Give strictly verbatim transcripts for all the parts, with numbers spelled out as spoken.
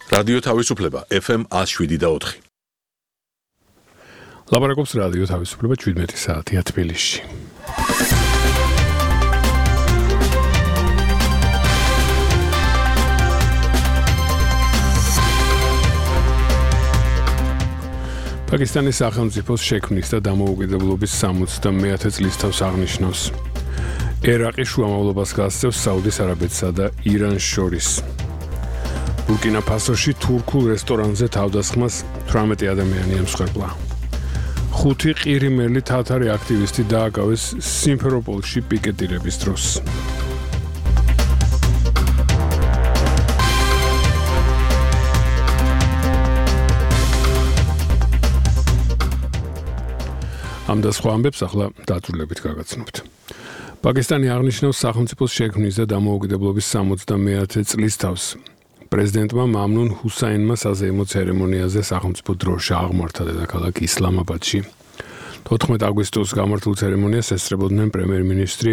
რადიო თავისუფლება F M one oh seven და four. ლაპარაკობს რადიო თავისუფლება შვიდმეტი საათია თბილისში. პაკისტანის სახელმწიფოს შექმნის და დამოუკიდებლობის სამოცდამეათე წლისთავს აღნიშნავს. ერაყი შუამავლობას გასცემს საუდის არაბეთსა და ირანს შორის. ბურკინა ფასოში თურქულ რესტორანზე თავდასხმას თვრამეტი ადამიანი ემსხვერპლა. ხუთი ყირიმელი თათარი აქტივისტი დააკავეს სიმფეროპოლში პიკეტირების დროს. ამ და სხვა ამბებს ახლა დაწვრილებით გაგაცნობთ. პაკისტანი აღნიშნავს სახელმწიფოს შექმნის და დამოუკიდებლობის სამოცდამეათე წლისთავს. პრეზიდენტმა მამნუნ ჰუსაინმა საზეიმო ცერემონიაზე სახელმწიფო დროშა აღმართა დედაქალაქ ისლამაბადში. თოთხმეტი აგვისტოს გამართულ ცერემონიას ესწრებოდნენ პრემიერ-მინისტრი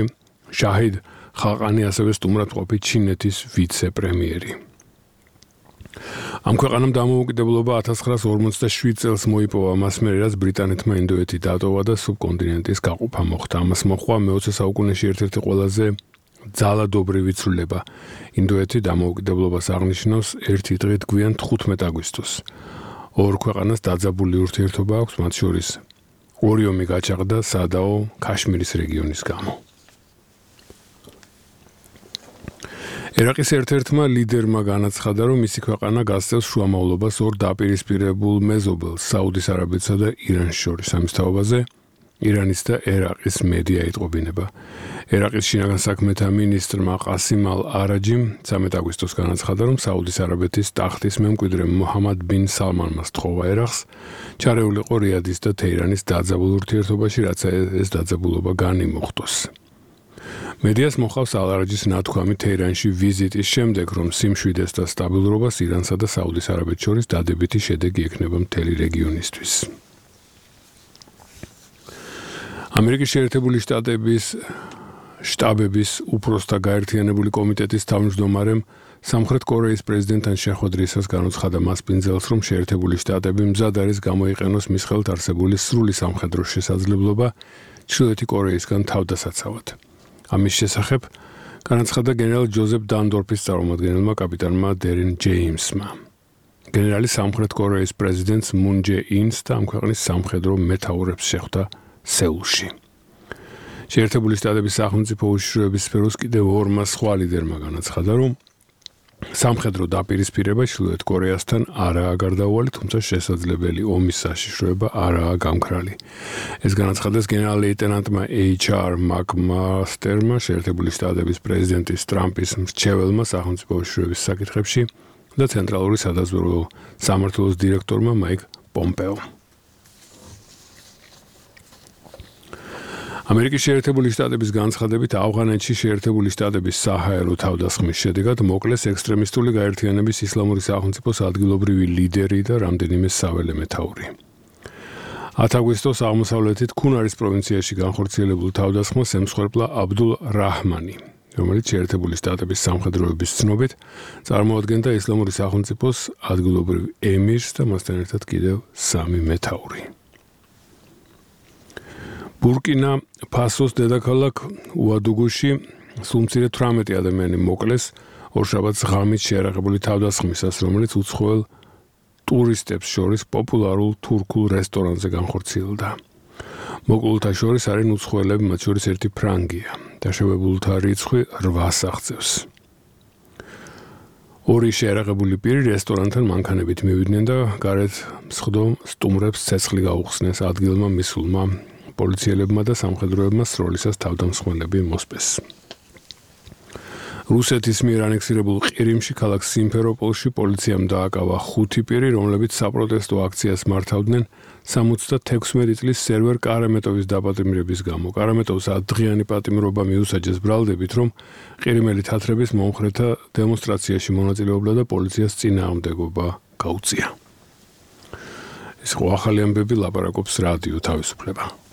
შაჰიდ ხაყანი, ასევე სტუმრად ყოფი ჩინეთის ვიცე-პრემიერი. ამ ქვეყანამ დამოუკიდებლობა ათას ცხრაას ორმოცდაშვიდ წელს მოიპოვა, მას მერე რაც ბრიტანეთმა ინდოეთი დატოვა და სუბკონტინენტის გაყოფა მოხდა. ამას მოჰყვა მეოცე საუკუნეში ერთ-ერთი ყველაზე ძალადობრივი ცვლილება. ინდოეთი დამოუკიდებლობას აღნიშნავს ერთი დღით გვიან თხუთმეტ აგვისტოს. ორ ქვეყანას დაძაბული ურთიერთობა აქვს, მათ შორის ორი ომი გაჩაღდა სადაო ქაშმირის რეგიონის გამო. ერაყის ერთ-ერთმა ლიდერმა განაცხადა, რომ მისი ქვეყანა გასცემს შუამავლობას ორ დაპირისპირებულ მეზობელს, საუდის არაბეთსა და ირანს შორის. ამის თაობაზე ირანის და ერაყის მედია იტყობინება. ერაყის შინაგან საქმეთა მინისტრმა ყასიმ ალ-არაჯიმ ცამეტ აგვისტოს განაცხადა, რომ საუდის არაბეთის ტახტის მემკვიდრე მოჰამად ბინ სალმანმა სთხოვა ერაყს ჩარეულიყო რიადის და თეირანის დაძაბულ ურთიერთობაში, რაც ეს დაძაბულობა განიმუხტოს. მედიას მოხავს ალ-არაჯის ნათქვამი თეირანში ვიზიტის შემდეგ, რომ სიმშვიდეს და სტაბილურობას ირანსა და საუდის არაბეთს შორის დადებითი შედეგი ექნება მთელი რეგიონისთვის. ამერიკის შეერთებული შტატების შტაბების უფროსთა გაერთიანებული კომიტეტის თავმჯდომარემ სამხრეთ კორეის პრეზიდენტთან შეხვედრისას განუცხადა მასპინძელს, რომ შეერთებული შტატები მზად არის გამოიყენოს მის ხელთ არსებული სრული სამხედრო შესაძლებლობა ჩრდილოეთი კორეისგან თავდასაცავად. ამის შესახებ განაცხადა გენერალ ჯოზეფ დანდორფის წარმომადგენელმა კაპიტანმა დერენ ჯეიმსმა. გენერალი სამხრეთ კორეის პრეზიდენტს მუნ ჯე ინს და ამ ქვეყნის სამხედრო მეთაურებს შეხვდა სეულში. შეერთებული შტატების სახელმწიფო უშიშროების სფეროს კიდევ ორმა სხვა ლიდერმა განაცხადა, რომ სამხედრო დაპირისპირება ჩრდილოეთ კორეასთან არაა გარდაუვალი, თუმცა შესაძლებელი ომის საშიშროება არაა გამქრალი. ეს განაცხადეს გენერალ-ლეიტენანტმა ეიჩ არ მაკმასტერმა, შეერთებული შტატების პრეზიდენტის ტრამპის მრჩეველმა სახელმწიფო უშიშროების საკითხებში და ცენტრალური სადაზვერვო სამმართველოს დირექტორმა მაიკ პომპეო. ამერიკის შეერთებული შტატების განცხადებით ავღანეთში შეერთებული შტატების საჰაერო თავდასხმის შედეგად მოკლეს ექსტრემისტული გაერთიანების ისლამური სახელმწიფოს ადგილობრივი ლიდერი და რამდენიმე საველე მეთაური. ათი აგვისტოს აღმოსავლეთით ქუნარის პროვინციაში განხორციელებულ თავდასხმას ემსხვერპლა აბდულ რაჰმანი, რომელიც შეერთებული შტატების სამხედროების ცნობით წარმოადგენდა ისლამური სახელმწიფოს ადგილობრივ ემირს და მასთან ერთად კიდევ სამი მეთაური. ბურკინა ფასოს დედაქალაქ უადუგუში სულ მცირე თვრამეტი ადამიანი მოკლეს ორშაბათს ღამით შეარაღებული თავდასხმისას, რომელიც უცხოელ ტურისტებს შორის პოპულარულ თურქულ რესტორანზე განხორციელდა. მოკლულთა შორის არიან უცხოელები, მათ შორის ერთი ფრანგია. დაშავებულთა რიცხვი რვას აღწევს. ორი შეარაღებული პირი რესტორანთან მანქანებით მივიდნენ და გარეთ მსხდო სტუმრებს ცეცხლი გაუხსნეს. ადგილმა მისულმა პოლიციელებმა და სამხედროებმა სროლისას თავდამსხმელები მოსპეს. რუსეთის მიერ ანექსირებულ ყირიმში ქალაქ სიმფეროპოლში პოლიციამ დააკავა ხუთი პირი, რომლებიც საპროტესტო აქციას მართავდნენ სამოცდათექვსმეტი წლის სერვერ კარამეტოვის დაპატიმრების გამო. კარამეტოვს ათდღიანი პატიმრობა მიუსაჯეს ბრალდებით, რომ ყირიმელი თათრების მომხრეთა დემონსტრაციაში მონაწილეობდა და პოლიციას წინააღმდეგობა გაუწია. ეს ხო ახალი ამბები, ლაპარაკობს რადიო თავისუფლება.